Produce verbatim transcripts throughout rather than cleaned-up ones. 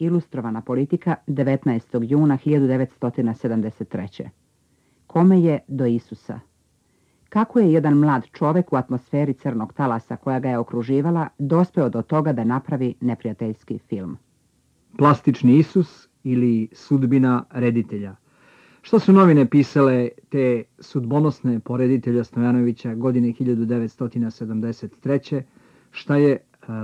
Ilustrovana politika devetnaestog juna hiljadu devetsto sedamdeset treće. Kome je do Isusa? Kako je jedan mlad čovek u atmosferi crnog talasa koja ga je okruživala dospeo do toga da napravi neprijateljski film? Plastični Isus ili sudbina reditelja. Što su novine pisale te sudbonosne po reditelja Stojanovića godine hiljadu devetsto sedamdeset treće, šta je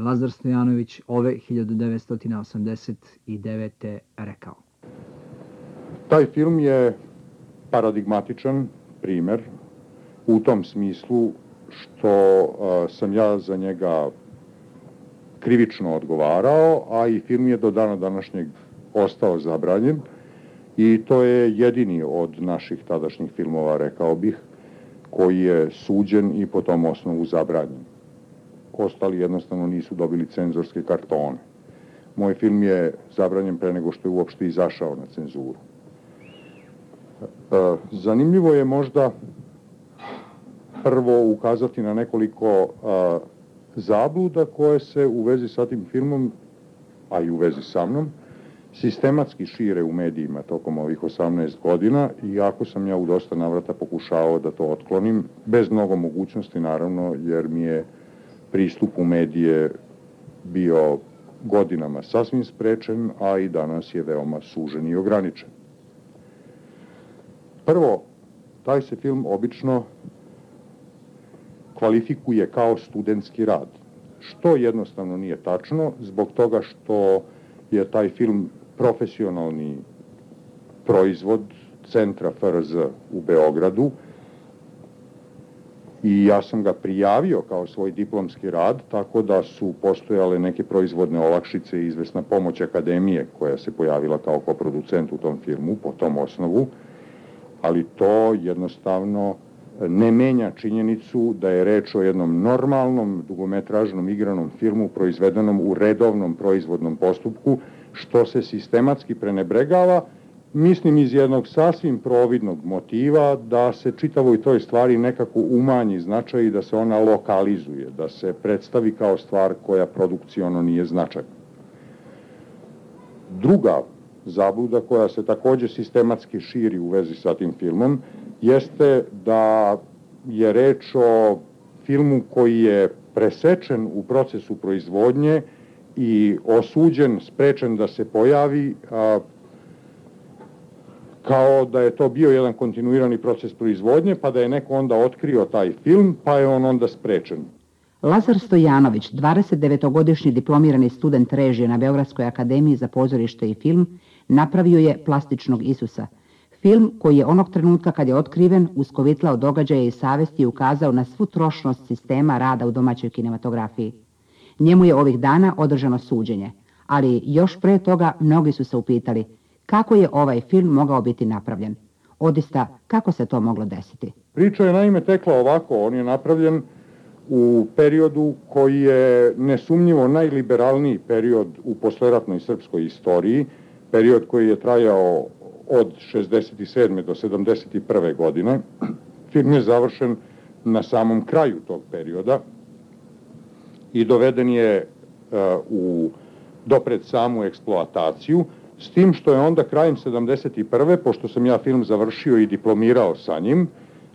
Lazar Stojanović ove hiljadu devetsto osamdeset devete. rekao? Taj film je paradigmatičan primer u tom smislu što a, sam ja za njega krivično odgovarao, a i film je do dana današnjeg ostao zabranjen i to je jedini od naših tadašnjih filmova, rekao bih, koji je suđen i po tom osnovu zabranjen. Ostali jednostavno nisu dobili cenzorske kartone. Moj film je zabranjen pre nego što je uopšte izašao na cenzuru. Zanimljivo je možda prvo ukazati na nekoliko a, zabluda koje se u vezi sa tim filmom, a i u vezi sa mnom, sistematski šire u medijima tokom ovih osamnaest godina, iako sam ja u dosta navrata pokušao da to otklonim, bez mnogo mogućnosti naravno, jer mi je pristup u medije bio godinama sasvim sprečen, a i danas je veoma sužen i ograničen. Prvo, taj se film obično kvalifikuje kao studentski rad, što jednostavno nije tačno, zbog toga što je taj film profesionalni proizvod Centra F R Z u Beogradu i ja sam ga prijavio kao svoj diplomski rad, tako da su postojale neke proizvodne olakšice i izvesna pomoć akademije koja se pojavila kao koproducent u tom filmu po tom osnovu, ali to jednostavno ne menja činjenicu da je reč o jednom normalnom dugometražnom igranom filmu proizvedenom u redovnom proizvodnom postupku, što se sistematski prenebregava, mislim iz jednog sasvim providnog motiva da se čitavoj toj stvari nekako umanji značaj i da se ona lokalizuje, da se predstavi kao stvar koja produkciono nije značajna. Druga zabluda koja se takođe sistematski širi u vezi sa tim filmom jeste da je reč o filmu koji je presečen u procesu proizvodnje i osuđen, sprečen da se pojavi, a, kao da je to bio jedan kontinuirani proces proizvodnje, pa da je neko onda otkrio taj film, pa je on onda sprečen. Lazar Stojanović, dvadesetdevetogodišnji diplomirani student režije na Beogradskoj akademiji za pozorište i film, napravio je Plastičnog Isusa. Film koji je onog trenutka kad je otkriven uskovitlao događaje i savesti i ukazao na svu trošnost sistema rada u domaćoj kinematografiji. Njemu je ovih dana održano suđenje, ali još pre toga mnogi su se upitali kako je ovaj film mogao biti napravljen. Odista, kako se to moglo desiti? Priča je naime tekla ovako, on je napravljen u periodu koji je nesumnjivo najliberalniji period u posleratnoj srpskoj istoriji, period koji je trajao od šezdeset sedme do sedamdeset prve godine. Film je završen na samom kraju tog perioda i doveden je uh, u, do pred samu eksploataciju, s tim što je onda krajem sedamdeset prve, pošto sam ja film završio i diplomirao sa njim,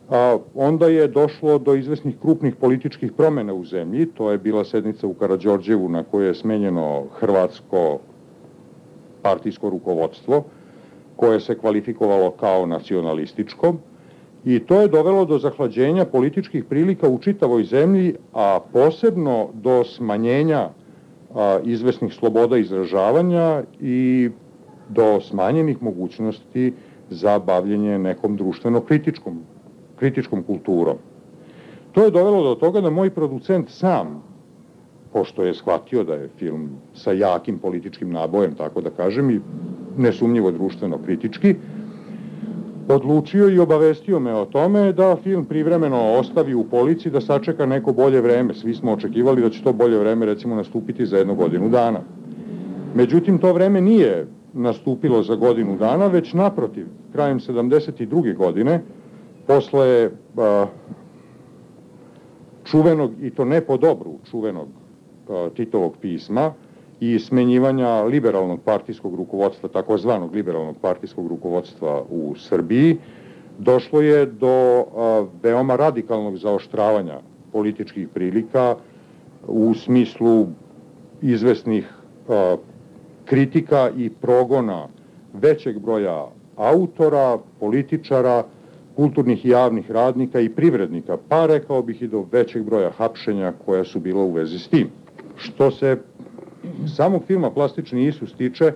a, onda je došlo do izvesnih krupnih političkih promena u zemlji. To je bila sednica u Karađorđevu na kojoj je smenjeno hrvatsko partijsko rukovodstvo, koje se kvalifikovalo kao nacionalističko, i to je dovelo do zahlađenja političkih prilika u čitavoj zemlji, a posebno do smanjenja a, izvesnih sloboda izražavanja i do smanjenih mogućnosti za bavljenje nekom društveno kritičkom, kritičkom kulturom. To je dovelo do toga da moj producent sam, pošto je shvatio da je film sa jakim političkim nabojem, tako da kažem, i nesumnjivo društveno kritički, odlučio i obavestio me o tome da film privremeno ostavi u polici, da sačeka neko bolje vreme. Svi smo očekivali da će to bolje vreme recimo nastupiti za jednu godinu dana. Međutim, to vreme nije nastupilo za godinu dana, već naprotiv, krajem sedamdeset druge godine, posle a, čuvenog, i to ne po dobru, čuvenog a, Titovog pisma i smenjivanja liberalnog partijskog rukovodstva, takozvanog liberalnog partijskog rukovodstva u Srbiji, došlo je do a, veoma radikalnog zaoštravanja političkih prilika u smislu izvesnih a, kritika i progona većeg broja autora, političara, kulturnih i javnih radnika i privrednika, pa rekao bih i do većeg broja hapšenja koja su bila u vezi s tim. Što se samog filma Plastični Isus tiče,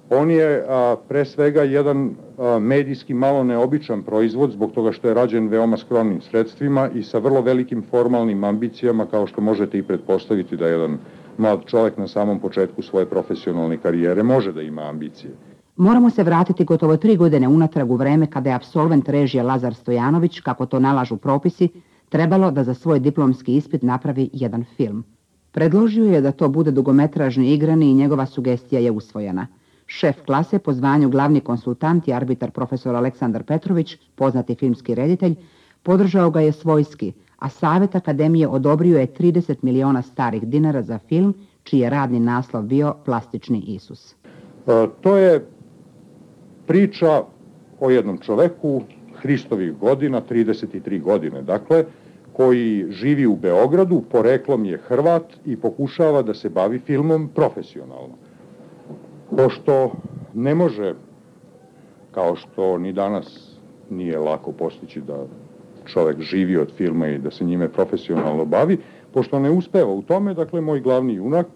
on je a, pre svega jedan a, medijski malo neobičan proizvod zbog toga što je rađen veoma skromnim sredstvima i sa vrlo velikim formalnim ambicijama, kao što možete i pretpostaviti da jedan mlad čovjek na samom početku svoje profesionalne karijere može da ima ambicije. Moramo se vratiti gotovo tri godine unatrag u vreme kada je apsolvent režije Lazar Stojanović, kako to nalažu propisi, trebalo da za svoj diplomski ispit napravi jedan film. Predložio je da to bude dugometražni igrani i njegova sugestija je usvojena. Šef klase po zvanju glavni konsultant i arbitar profesor Aleksandar Petrović, poznati filmski reditelj, podržao ga je svojski, a Savjet Akademije odobrio je trideset miliona starih dinara za film, čiji je radni naslov bio Plastični Isus. E, to je priča o jednom čoveku Hristovih godina, trideset tri godine, dakle, koji živi u Beogradu, poreklom je Hrvat i pokušava da se bavi filmom profesionalno. Pošto ne može, kao što ni danas nije lako postići da čovek živi od filma i da se njime profesionalno bavi, pošto ne uspeva u tome, dakle, moj glavni junak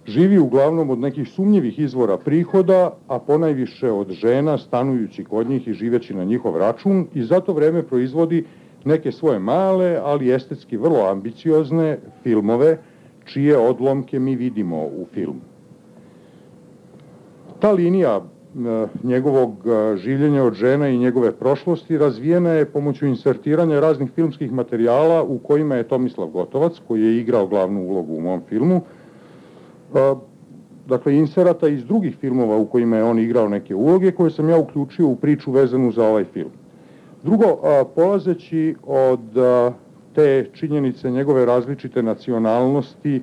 živi uglavnom od nekih sumnjivih izvora prihoda, a ponajviše od žena, stanujući kod njih i živeći na njihov račun, i za to vreme proizvodi neke svoje male, ali estetski vrlo ambiciozne filmove, čije odlomke mi vidimo u filmu. Ta linija e, njegovog e, življenja od žena i njegove prošlosti razvijena je pomoću insertiranja raznih filmskih materijala u kojima je Tomislav Gotovac, koji je igrao glavnu ulogu u mom filmu, e, dakle inserata iz drugih filmova u kojima je on igrao neke uloge koje sam ja uključio u priču vezanu za ovaj film. Drugo, a, polazeći od a, te činjenice njegove različite nacionalnosti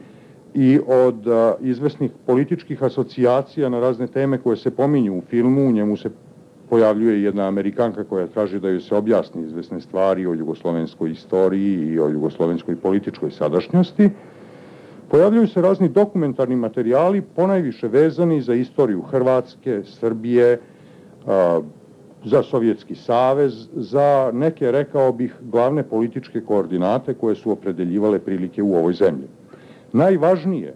i od a, izvesnih političkih asocijacija na razne teme koje se pominju u filmu, u njemu se pojavljuje jedna Amerikanka koja traži da joj se objasni izvesne stvari o jugoslovenskoj istoriji i o jugoslovenskoj političkoj sadašnjosti. Pojavljuju se razni dokumentarni materijali, ponajviše vezani za istoriju Hrvatske, Srbije, a, za Sovjetski savez, za neke, rekao bih, glavne političke koordinate koje su opredeljivale prilike u ovoj zemlji. Najvažnije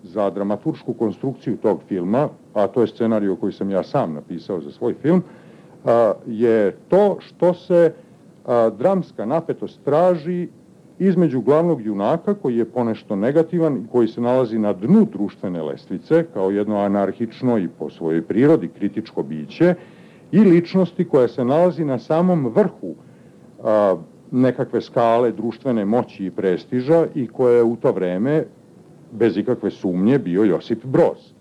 za dramaturšku konstrukciju tog filma, a to je scenarij koji sam ja sam napisao za svoj film, je to što se dramska napetost traži između glavnog junaka, koji je ponešto negativan i koji se nalazi na dnu društvene lestvice, kao jedno anarhično i po svojoj prirodi kritičko biće, i ličnosti koja se nalazi na samom vrhu a, nekakve skale društvene moći i prestiža i koja je u to vreme, bez ikakve sumnje, bio Josip Broz.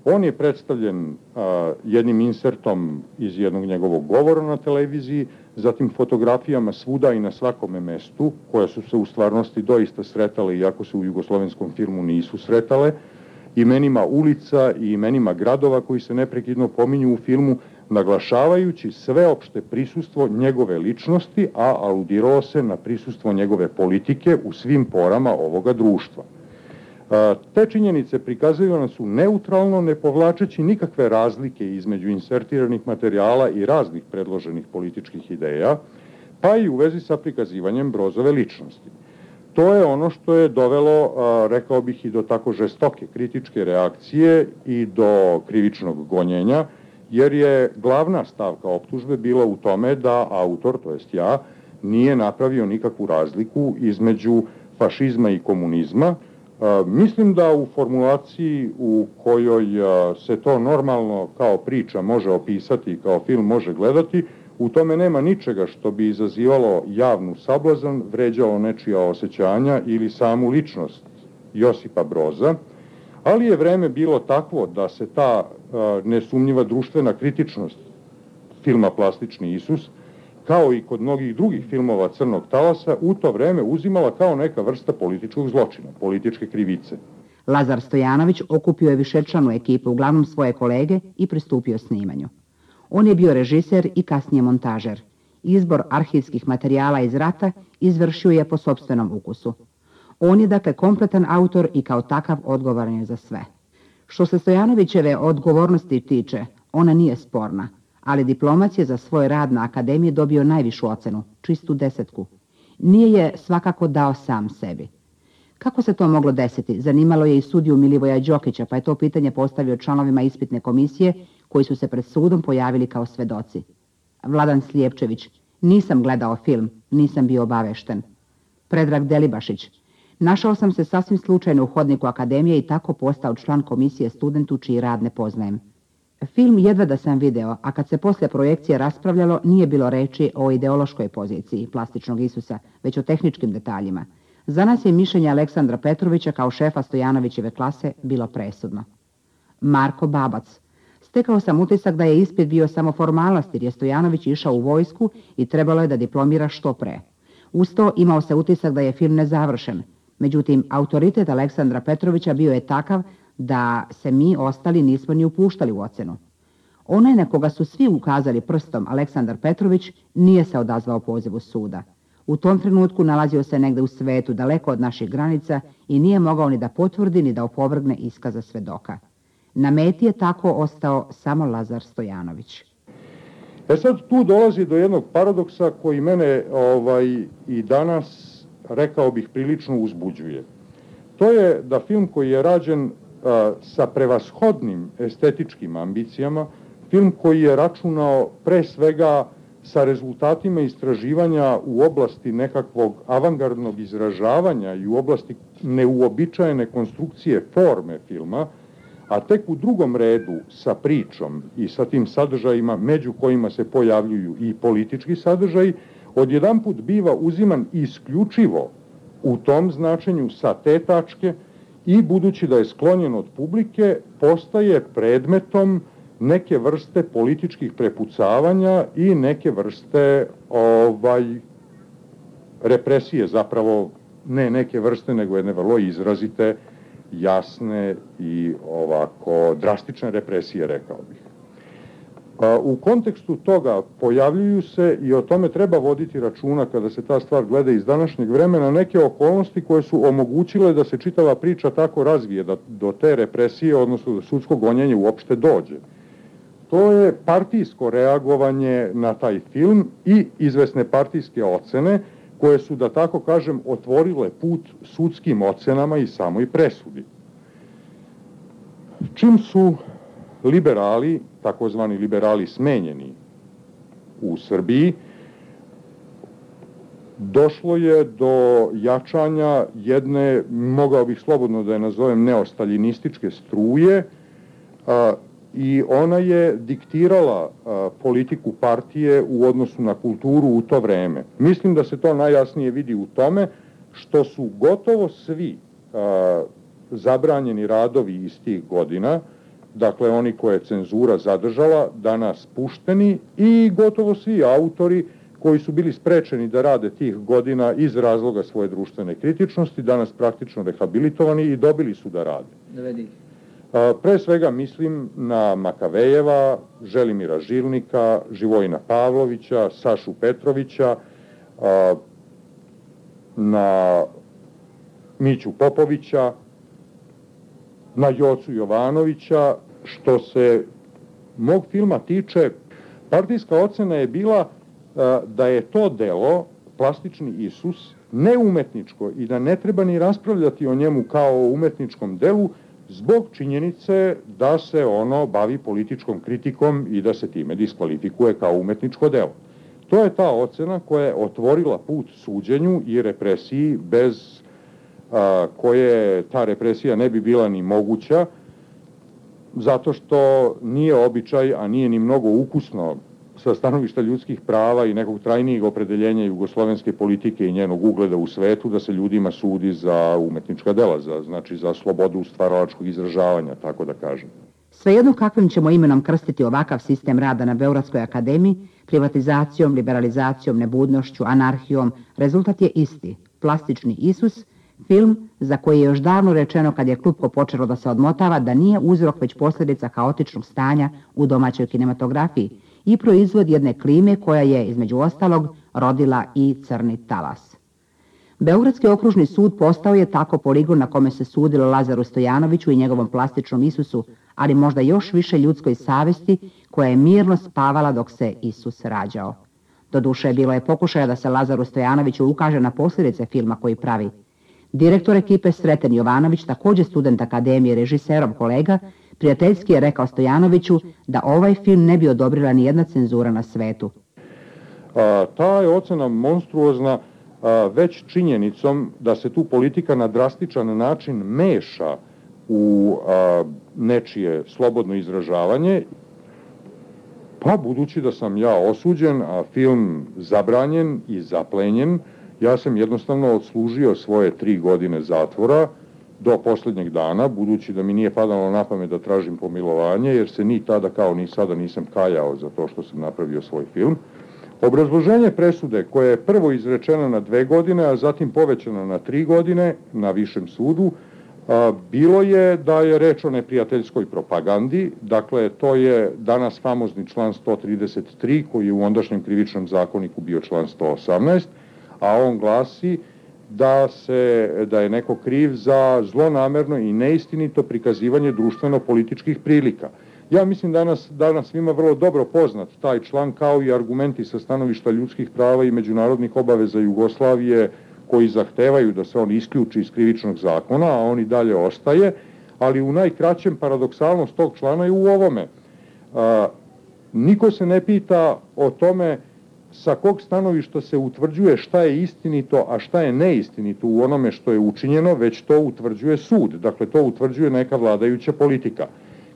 On je predstavljen a, jednim insertom iz jednog njegovog govora na televiziji, zatim fotografijama svuda i na svakome mestu, koje su se u stvarnosti doista sretale, iako se u jugoslovenskom filmu nisu sretale, imenima ulica i imenima gradova koji se neprekidno pominju u filmu, naglašavajući sveopšte prisustvo njegove ličnosti, a aludiralo se na prisustvo njegove politike u svim porama ovoga društva. Te činjenice prikazivane su neutralno, ne povlačeći nikakve razlike između insertiranih materijala i raznih predloženih političkih ideja, pa i u vezi sa prikazivanjem Brozove ličnosti. To je ono što je dovelo, rekao bih, i do tako žestoke kritičke reakcije i do krivičnog gonjenja, jer je glavna stavka optužbe bila u tome da autor, to jest ja, nije napravio nikakvu razliku između fašizma i komunizma. Mislim da u formulaciji u kojoj se to normalno kao priča može opisati i kao film može gledati, u tome nema ničega što bi izazivalo javnu sablazan, vređalo nečija osjećanja ili samu ličnost Josipa Broza, ali je vreme bilo takvo da se ta a, nesumnjiva društvena kritičnost filma Plastični Isus, kao i kod mnogih drugih filmova Crnog talasa, u to vreme uzimala kao neka vrsta političkog zločina, političke krivice. Lazar Stojanović okupio je višečlanu ekipu, uglavnom svoje kolege, i pristupio snimanju. On je bio režiser i kasnije montažer. Izbor arhivskih materijala iz rata izvršio je po sopstvenom ukusu. On je dakle kompletan autor i kao takav odgovoran je za sve. Što se Stojanovićeve odgovornosti tiče, ona nije sporna, ali diplomac je za svoj rad na akademiji dobio najvišu ocenu, čistu desetku. Nije je svakako dao sam sebi. Kako se to moglo desiti? Zanimalo je i sudiju Milivoja Đokića, pa je to pitanje postavio članovima ispitne komisije koji su se pred sudom pojavili kao svedoci. Vladan Slijepčević: nisam gledao film, nisam bio obavešten. Predrag Delibašić: našao sam se sasvim slučajno u hodniku akademije i tako postao član komisije studentu čiji rad ne poznajem. Film jedva da sam video, a kad se posle projekcije raspravljalo, nije bilo reči o ideološkoj poziciji plastičnog Isusa, već o tehničkim detaljima. Za nas je mišljenje Aleksandra Petrovića kao šefa Stojanovićeve klase bilo presudno. Marko Babac: stekao sam utisak da je ispit bio samo formalnost jer je Stojanović išao u vojsku i trebalo je da diplomira što pre. Uz to imao se utisak da je film nezavršen. Međutim, autoritet Aleksandra Petrovića bio je takav da se mi ostali nismo ni upuštali u ocenu. Onaj na koga su svi ukazali prstom, Aleksandar Petrović, nije se odazvao pozivu suda. U tom trenutku nalazio se negde u svetu, daleko od naših granica, i nije mogao ni da potvrdi ni da opovrgne iskaza svedoka. Na meti je tako ostao samo Lazar Stojanović. E sad tu dolazi do jednog paradoksa koji mene ovaj, i danas, rekao bih, prilično uzbuđuje. To je da film koji je rađen a, sa prevashodnim estetičkim ambicijama, film koji je računao pre svega sa rezultatima istraživanja u oblasti nekakvog avangardnog izražavanja i u oblasti neuobičajene konstrukcije forme filma, a tek u drugom redu sa pričom i sa tim sadržajima među kojima se pojavljuju i politički sadržaji, odjedanput biva uziman isključivo u tom značenju sa te tačke i budući da je sklonjen od publike, postaje predmetom neke vrste političkih prepucavanja i neke vrste ovaj, represije, zapravo ne neke vrste, nego jedne vrlo izrazite, jasne i ovako drastične represije, rekao bih. U kontekstu toga pojavljuju se, i o tome treba voditi računa kada se ta stvar gleda iz današnjeg vremena, neke okolnosti koje su omogućile da se čitava priča tako razvije, da do te represije, odnosno do sudskog gonjenja uopšte dođe. To je partijsko reagovanje na taj film i izvesne partijske ocene koje su, da tako kažem, otvorile put sudskim ocenama i samoj presudi. Čim su liberali, takozvani liberali smenjeni u Srbiji, došlo je do jačanja jedne, mogao bih slobodno da je nazovem, neostaljinističke struje, a, i ona je diktirala a, politiku partije u odnosu na kulturu u to vreme. Mislim da se to najjasnije vidi u tome što su gotovo svi a, zabranjeni radovi iz tih godina, dakle oni koje je cenzura zadržala, danas pušteni, i gotovo svi autori koji su bili sprečeni da rade tih godina iz razloga svoje društvene kritičnosti, danas praktično rehabilitovani i dobili su da rade. Dovedi. Pre svega mislim na Makavejeva, Želimira Žilnika, Živojina Pavlovića, Sašu Petrovića, na Miću Popovića, na Jocu Jovanovića. Što se mog filma tiče, partijska ocena je bila da je to delo, Plastični Isus, neumetničko i da ne treba ni raspravljati o njemu kao o umetničkom delu, zbog činjenice da se ono bavi političkom kritikom i da se time diskvalifikuje kao umetničko delo. To je ta ocena koja je otvorila put suđenju i represiji, bez a, koje ta represija ne bi bila ni moguća, zato što nije običaj, a nije ni mnogo ukusno sa stanovišta ljudskih prava i nekog trajnijeg opredeljenja jugoslovenske politike i njenog ugleda u svetu, da se ljudima sudi za umetnička dela, za, znači za slobodu stvaralačkog izražavanja, tako da kažem. Svejedno kakvim ćemo imenom krstiti ovakav sistem rada na Beogradskoj akademiji, privatizacijom, liberalizacijom, nebudnošću, anarhijom, rezultat je isti. Plastični Isus, Film za koji je još davno rečeno kad je klupko počelo da se odmotava da nije uzrok već posljedica kaotičnog stanja u domaćoj kinematografiji i proizvod jedne klime koja je, između ostalog, rodila i Crni talas. Beogradski okružni sud postao je tako poligon na kome se sudilo Lazaru Stojanoviću i njegovom plastičnom Isusu, ali možda još više ljudskoj savesti koja je mirno spavala dok se Isus rađao. Doduše, bilo je pokušaja da se Lazaru Stojanoviću ukaže na posljedice filma koji pravi. Direktor ekipe Sreten Jovanović, također student akademije, režiserom kolega, prijateljski je rekao Stojanoviću da ovaj film ne bi odobrila ni jedna cenzura na svetu. A, ta je ocena monstruozna a, već činjenicom da se tu politika na drastičan način meša u a, nečije slobodno izražavanje. Pa budući da sam ja osuđen, a film zabranjen i zaplenjen, ja sam jednostavno odslužio svoje tri godine zatvora do posljednjeg dana, budući da mi nije padalo na pamet da tražim pomilovanje, jer se ni tada kao ni sada nisam kajao za to što sam napravio svoj film. Obrazloženje presude, koje je prvo izrečeno na dve godine, a zatim povećano na tri godine na višem sudu, a, bilo je da je reč o neprijateljskoj propagandi. Dakle, to je danas famozni član sto trideset tri, koji je u ondašnjem krivičnom zakoniku bio član sto osamnaest, a on glasi da, se, da je neko kriv za zlonamerno i neistinito prikazivanje društveno-političkih prilika. Ja mislim danas, danas svima vrlo dobro poznat taj član, kao i argumenti sa stanovišta ljudskih prava i međunarodnih obaveza Jugoslavije, koji zahtevaju da se on isključi iz krivičnog zakona, a on i dalje ostaje, ali u najkraćem paradoksalnost tog člana je u ovome. A, niko se ne pita o tome sa kog stanovišta se utvrđuje šta je istinito, a šta je neistinito u onome što je učinjeno, već to utvrđuje sud. Dakle, to utvrđuje neka vladajuća politika.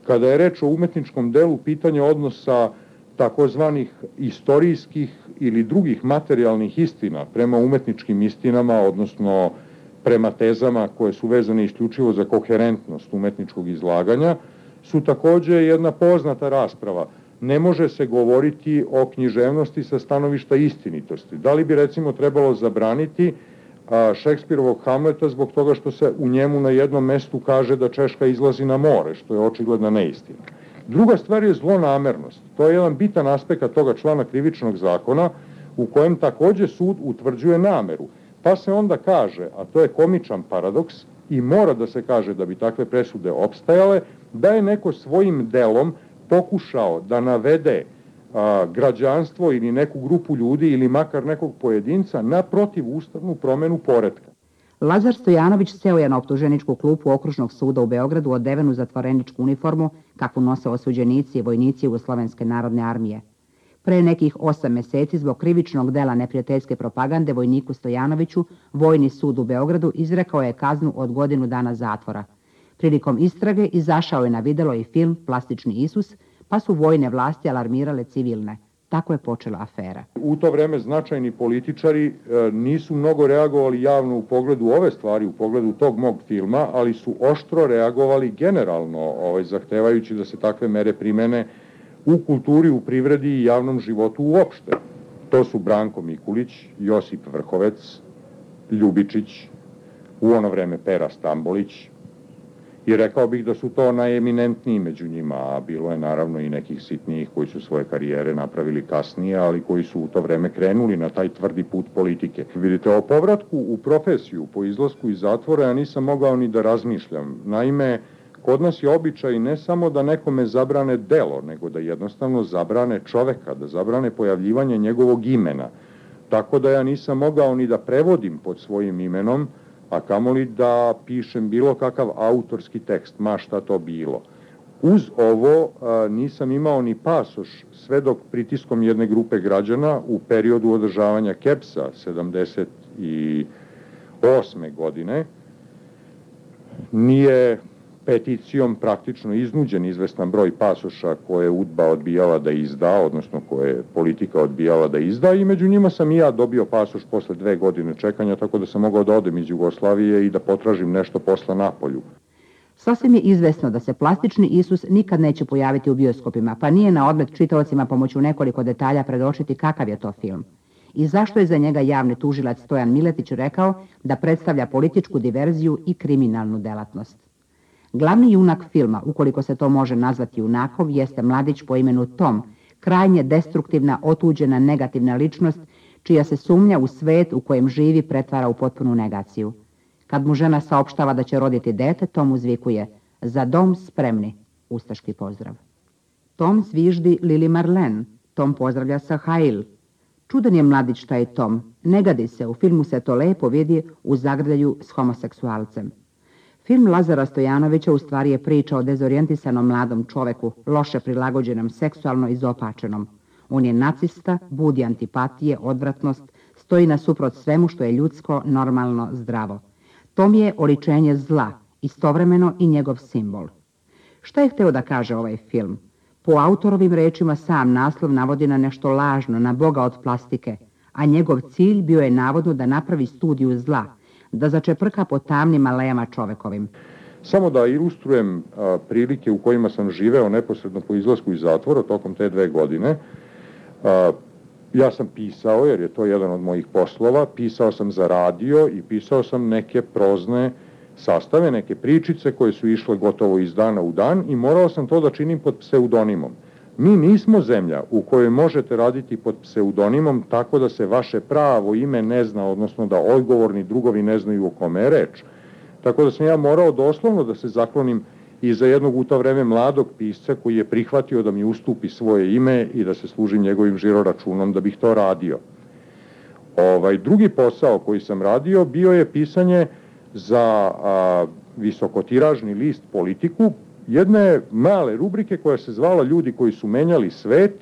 Kada je reč o umetničkom delu, pitanje odnosa takozvanih istorijskih ili drugih materijalnih istina prema umetničkim istinama, odnosno prema tezama koje su vezane isključivo za koherentnost umetničkog izlaganja, su također jedna poznata rasprava. Ne može se govoriti o književnosti sa stanovišta istinitosti. Da li bi recimo trebalo zabraniti a, Šekspirovog Hamleta zbog toga što se u njemu na jednom mestu kaže da Češka izlazi na more, što je očigledna neistina. Druga stvar je zlonamernost. To je jedan bitan aspekt toga člana krivičnog zakona u kojem također sud utvrđuje nameru. Pa se onda kaže, a to je komičan paradoks i mora da se kaže da bi takve presude opstajale, da je neko svojim delom pokušao da navede a, građanstvo ili neku grupu ljudi ili makar nekog pojedinca na protivustavnu promenu poretka. Lazar Stojanović seo je na optuženičku klupu Okružnog suda u Beogradu odeven u zatvoreničku uniformu kakvu nose osuđenici i vojnici Jugoslovenske narodne armije. Pre nekih osam meseci zbog krivičnog dela neprijateljske propagande vojniku Stojanoviću Vojni sud u Beogradu izrekao je kaznu od godinu dana zatvora. Prilikom istrage izašao je na videlo i film Plastični Isus, pa su vojne vlasti alarmirale civilne. Tako je počela afera. U to vreme značajni političari e, nisu mnogo reagovali javno u pogledu ove stvari, u pogledu tog mog filma, ali su oštro reagovali generalno, ovaj, zahtevajući da se takve mere primene u kulturi, u privredi i javnom životu uopšte. To su Branko Mikulić, Josip Vrhovec, Ljubičić, u ono vreme Pera Stambolić, i rekao bih da su to najeminentniji među njima, a bilo je naravno i nekih sitnijih koji su svoje karijere napravili kasnije, ali koji su u to vreme krenuli na taj tvrdi put politike. Vidite, o povratku u profesiju po izlasku iz zatvora ja nisam mogao ni da razmišljam. Naime, kod nas je običaj ne samo da nekome zabrane delo, nego da jednostavno zabrane čoveka, da zabrane pojavljivanje njegovog imena. Tako da ja nisam mogao ni da prevodim pod svojim imenom, a kamoli da pišem bilo kakav autorski tekst, ma šta to bilo. Uz ovo a, nisam imao ni pasoš sve dok pritiskom jedne grupe građana u periodu održavanja Kepsa sedamdeset osme godine nije peticijom praktično iznuđen izvestan broj pasoša koje je UDBA odbijala da izda, odnosno koje je politika odbijala da izda, i među njima sam i ja dobio pasoš posle dve godine čekanja, tako da sam mogao da odem iz Jugoslavije i da potražim nešto posla napolju. Sasvim je izvesno da se Plastični Isus nikad neće pojaviti u bioskopima, pa nije na odmet čitaocima pomoću nekoliko detalja predočiti kakav je to film. i zašto je za njega javni tužilac Stojan Miletić rekao da predstavlja političku diverziju i kriminalnu delatnost. Glavni junak filma, ukoliko se to može nazvati junakom, jeste mladić po imenu Tom, krajnje destruktivna, otuđena, negativna ličnost, čija se sumnja u svet u kojem živi pretvara u potpunu negaciju. Kad mu žena saopštava da će roditi dete, Tom uzvikuje: "Za dom spremni", ustaški pozdrav. Tom zviždi Lili Marlen, Tom pozdravlja sa Hail. Čudan je mladić taj Tom, ne gadi se, u filmu se to lepo vidi u zagrljaju s homoseksualcem. Film Lazara Stojanovića u stvari je priča o dezorijentisanom mladom čoveku, loše prilagođenom, seksualno izopačenom. On je nacista, budi antipatije, odvratnost, stoji nasuprot svemu što je ljudsko, normalno, zdravo. Tom je oličenje zla, istovremeno i njegov simbol. Šta je hteo da kaže ovaj film? Po autorovim rečima sam naslov navodi na nešto lažno, na Boga od plastike, a njegov cilj bio je navodno da napravi studiju zla, da začeprka po tamnim alejama čovekovim. Samo da ilustrujem a, prilike u kojima sam živeo neposredno po izlasku iz zatvora tokom te dve godine. A, ja sam pisao, jer je to jedan od mojih poslova, pisao sam za radio i pisao sam neke prozne sastave, neke pričice koje su išle gotovo iz dana u dan i morao sam to da činim pod pseudonimom. Mi nismo zemlja u kojoj možete raditi pod pseudonimom tako da se vaše pravo ime ne zna, odnosno da odgovorni drugovi ne znaju o kome je reč. Tako da sam ja morao doslovno da se zaklonim i za jednog u to vreme mladog pisca koji je prihvatio da mi ustupi svoje ime i da se služim njegovim žiroračunom da bih to radio. Ovaj drugi posao koji sam radio bio je pisanje za a, visokotiražni list Politiku, jedne male rubrike koja se zvala Ljudi koji su menjali svet,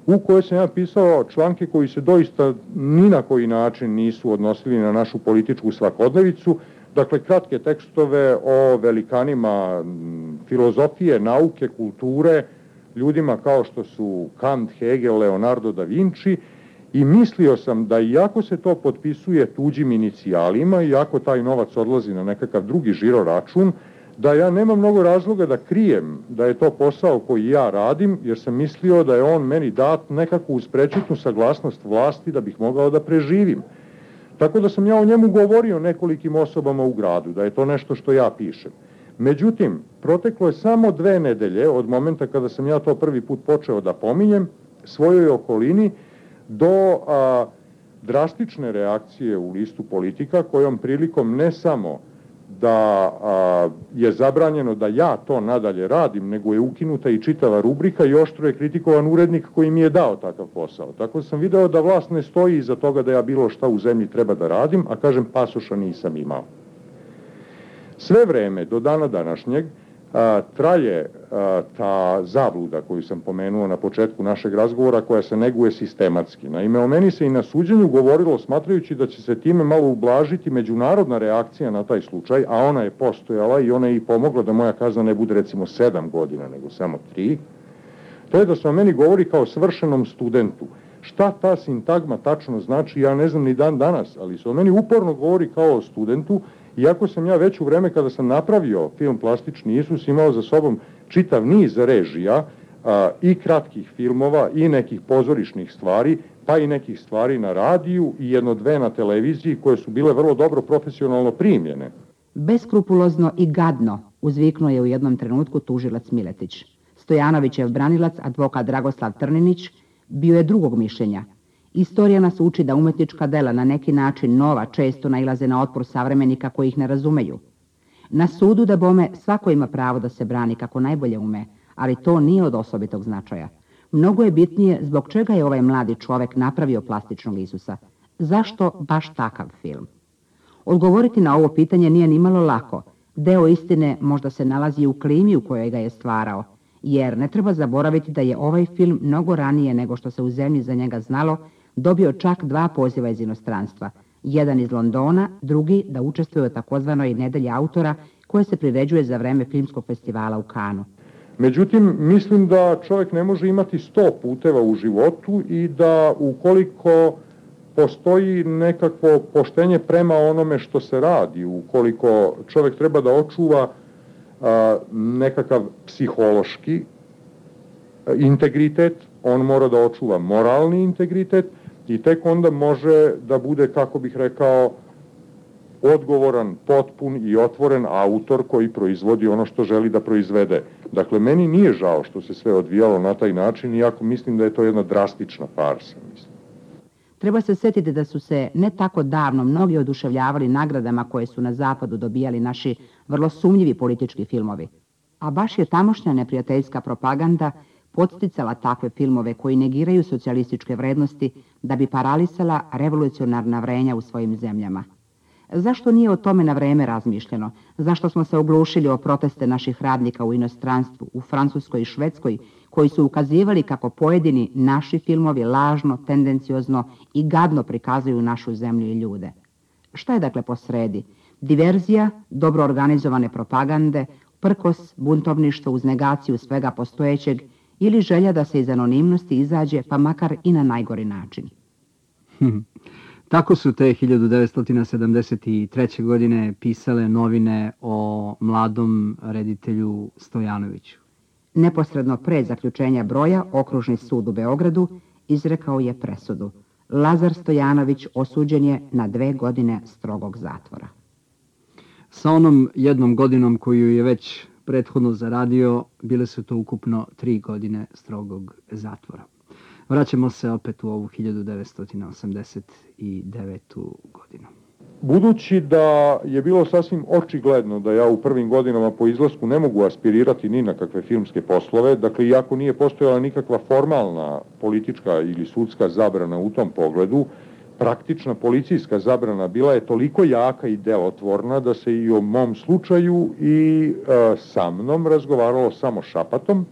u kojoj sam ja pisao članke koji se doista ni na koji način nisu odnosili na našu političku svakodnevicu, dakle kratke tekstove o velikanima filozofije, nauke, kulture, ljudima kao što su Kant, Hegel, Leonardo da Vinci, i mislio sam da iako se to potpisuje tuđim inicijalima, iako taj novac odlazi na nekakav drugi žiroračun, da ja nemam mnogo razloga da krijem da je to posao koji ja radim, jer sam mislio da je on meni dat nekako uz prečutnu saglasnost vlasti da bih mogao da preživim. Tako da sam ja o njemu govorio nekolikim osobama u gradu, da je to nešto što ja pišem. Međutim, proteklo je samo dve nedelje od momenta kada sam ja to prvi put počeo da pominjem svojoj okolini do a, drastične reakcije u listu Politika, kojom prilikom ne samo da a, je zabranjeno da ja to nadalje radim, nego je ukinuta i čitava rubrika i oštro je kritikovan urednik koji mi je dao takav posao. Tako sam video da vlast ne stoji iza toga da ja bilo šta u zemlji treba da radim, a kažem pasoša nisam imao. Sve vreme do dana današnjeg a, traje a, ta zabluda koju sam pomenuo na početku našeg razgovora, koja se neguje sistematski. Naime, o meni se i na suđenju govorilo smatrajući da će se time malo ublažiti međunarodna reakcija na taj slučaj, a ona je postojala i ona je i pomogla da moja kazna ne bude recimo sedam godina, nego samo tri. To je da se o meni govori kao svršenom studentu. Šta ta sintagma tačno znači, ja ne znam ni dan danas, ali se o meni uporno govori kao o studentu, iako sam ja već u vreme kada sam napravio film Plastični Isus imao za sobom čitav niz režija a, i kratkih filmova i nekih pozorišnih stvari, pa i nekih stvari na radiju i jedno dve na televiziji koje su bile vrlo dobro profesionalno primljene. Beskrupulozno i gadno, uzviknuo je u jednom trenutku tužilac Miletić. Stojanovićev branilac, advokat Dragoslav Trninić, bio je drugog mišljenja. Istorija nas uči da umetnička dela na neki način nova često nailaze na otpor savremenika koji ih ne razumeju. Na sudu da bome svako ima pravo da se brani kako najbolje ume, ali to nije od osobitog značaja. Mnogo je bitnije zbog čega je ovaj mladi čovek napravio Plastičnog Isusa. Zašto baš takav film? Odgovoriti na ovo pitanje nije nimalo lako. Deo istine možda se nalazi u klimi u kojoj ga je stvarao, jer ne treba zaboraviti da je ovaj film mnogo ranije nego što se u zemlji za njega znalo dobio čak dva poziva iz inostranstva. Jedan iz Londona, drugi da učestvuje u takozvanoj nedelji autora koja se priređuje za vreme filmskog festivala u Kanu. Međutim, mislim da čovjek ne može imati sto puteva u životu i da ukoliko postoji nekakvo poštenje prema onome što se radi, ukoliko čovjek treba da očuva a, nekakav psihološki integritet, on mora da očuva moralni integritet i tek onda može da bude, kako bih rekao, odgovoran, potpun i otvoren autor koji proizvodi ono što želi da proizvede. Dakle, meni nije žao što se sve odvijalo na taj način, iako mislim da je to jedna drastična farsa. Mislim. Treba se sjetiti da su se ne tako davno mnogi oduševljavali nagradama koje su na zapadu dobijali naši vrlo sumnjivi politički filmovi. A baš je tamošnja neprijateljska propaganda podsticala takve filmove koji negiraju socijalističke vrednosti da bi paralisala revolucionarna vrenja u svojim zemljama. Zašto nije o tome na vreme razmišljeno? Zašto smo se oglušili o proteste naših radnika u inostranstvu, u Francuskoj i Švedskoj, koji su ukazivali kako pojedini naši filmovi lažno, tendenciozno i gadno prikazuju našu zemlju i ljude? Šta je dakle posredi? Diverzija, dobro organizovane propagande, prkos, buntovništvo uz negaciju svega postojećeg ili želja da se iz anonimnosti izađe pa makar i na najgori način? Tako su te hiljadu devetsto sedamdeset treće. godine pisale novine o mladom reditelju Stojanoviću. Neposredno pre zaključenja broja, Okružni sud u Beogradu izrekao je presudu. Lazar Stojanović osuđen je na dve godine strogog zatvora. Sa onom jednom godinom koju je već prethodno zaradio, bile su to ukupno tri godine strogog zatvora. Vraćamo se opet u ovu hiljadu devetsto osamdeset devetu. godinu. Budući da je bilo sasvim očigledno da ja u prvim godinama po izlasku ne mogu aspirirati ni na kakve filmske poslove, dakle, iako nije postojala nikakva formalna politička ili sudska zabrana u tom pogledu, praktična policijska zabrana bila je toliko jaka i delotvorna da se i o mom slučaju i e, sa mnom razgovaralo samo šapatom.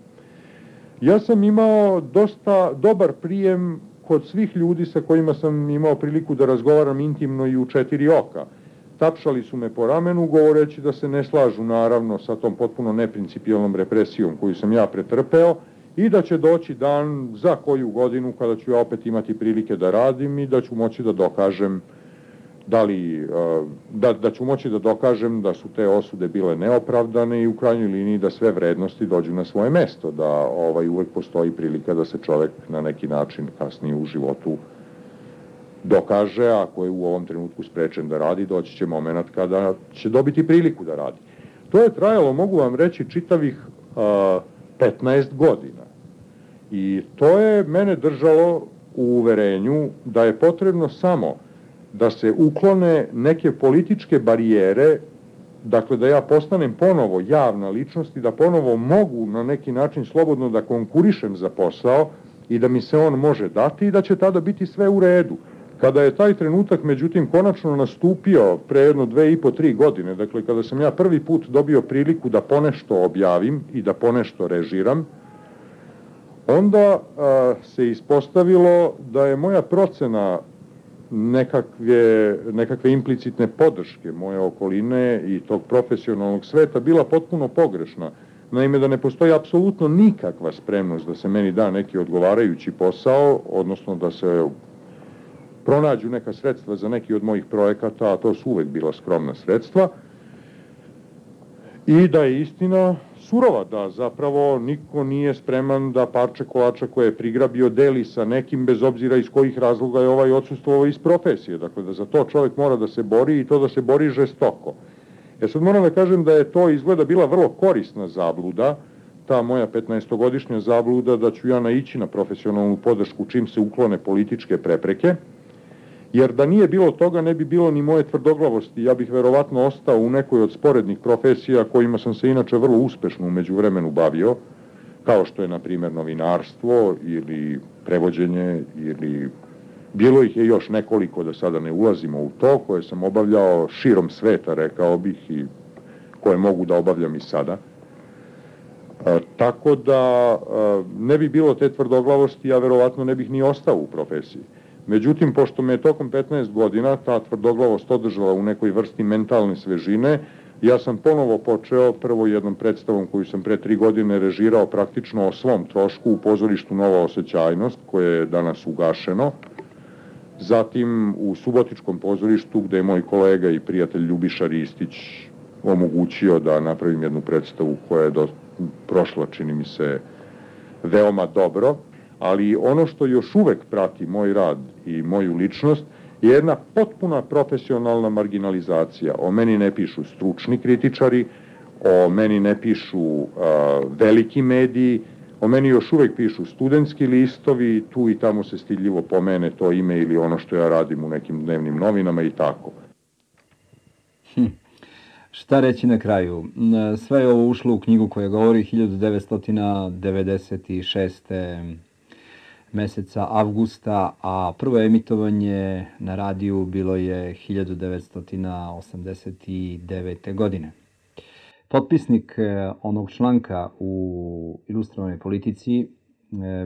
Ja sam imao dosta dobar prijem kod svih ljudi sa kojima sam imao priliku da razgovaram intimno i u četiri oka. Tapšali su me po ramenu, govoreći da se ne slažu naravno sa tom potpuno neprincipijalnom represijom koju sam ja pretrpeo i da će doći dan za koju godinu kada ću ja opet imati prilike da radim i da ću moći da dokažem da li, da, da ću moći da dokažem da su te osude bile neopravdane i u krajnjoj liniji da sve vrednosti dođu na svoje mesto, da ovaj, uvek postoji prilika da se čovek na neki način kasnije u životu dokaže, ako je u ovom trenutku sprečen da radi, doći će moment kada će dobiti priliku da radi. To je trajalo, mogu vam reći, čitavih uh, petnaest godina. I to je mene držalo u uverenju da je potrebno samo da se uklone neke političke barijere, dakle da ja postanem ponovo javna ličnost i da ponovo mogu na neki način slobodno da konkurišem za posao i da mi se on može dati i da će tada biti sve u redu. Kada je taj trenutak, međutim, konačno nastupio pre jedno dve i po, tri godine, dakle kada sam ja prvi put dobio priliku da ponešto objavim i da ponešto režiram, onda a, se ispostavilo da je moja procena nekakve, nekakve implicitne podrške moje okoline i tog profesionalnog sveta bila potpuno pogrešna. Naime, da ne postoji apsolutno nikakva spremnost da se meni da neki odgovarajući posao, odnosno da se pronađu neka sredstva za neki od mojih projekata, a to su uvek bila skromna sredstva, i da je istina surova, da zapravo niko nije spreman da parče kolača koje je prigrabio deli sa nekim, bez obzira iz kojih razloga je ovaj odsustvovao iz profesije. Dakle, da za to čovjek mora da se bori i to da se bori žestoko. Ja sad moram da kažem da je to izgleda bila vrlo korisna zabluda, ta moja petnaestogodišnja zabluda da ću ja naići na profesionalnu podršku čim se uklone političke prepreke, jer da nije bilo toga ne bi bilo ni moje tvrdoglavosti. Ja bih verovatno ostao u nekoj od sporednih profesija kojima sam se inače vrlo uspešno u međuvremenu bavio, kao što je na primjer novinarstvo ili prevođenje ili bilo ih je još nekoliko, da sada ne ulazimo u to, koje sam obavljao širom sveta, rekao bih, i koje mogu da obavljam i sada. E, tako da e, ne bi bilo te tvrdoglavosti, ja verovatno ne bih ni ostao u profesiji. Međutim, pošto me je tokom petnaest godina ta tvrdoglavost održala u nekoj vrsti mentalne svežine, ja sam ponovo počeo prvo jednom predstavom koju sam pre tri godine režirao praktično o svom trošku u pozorištu Nova Osjećajnost, koje je danas ugašeno. Zatim u Subotičkom pozorištu, gde je moj kolega i prijatelj Ljubiša Ristić omogućio da napravim jednu predstavu koja je do, prošla, čini mi se, veoma dobro. ali ono što još uvek prati moj rad i moju ličnost je jedna potpuna profesionalna marginalizacija. O meni ne pišu stručni kritičari, o meni ne pišu uh, veliki mediji, o meni još uvek pišu studentski listovi, tu i tamo se stidljivo pomene to ime ili ono što ja radim u nekim dnevnim novinama i tako. Hm. Šta reći na kraju? Sve je ovo ušlo u knjigu koja govori hiljadu devetsto devedeset šeste. meseca avgusta, a prvo emitovanje na radiju bilo je hiljadu devetsto osamdeset devete. godine. Potpisnik onog članka u Ilustrovanoj politici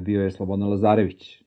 bio je Slobodan Lazarević.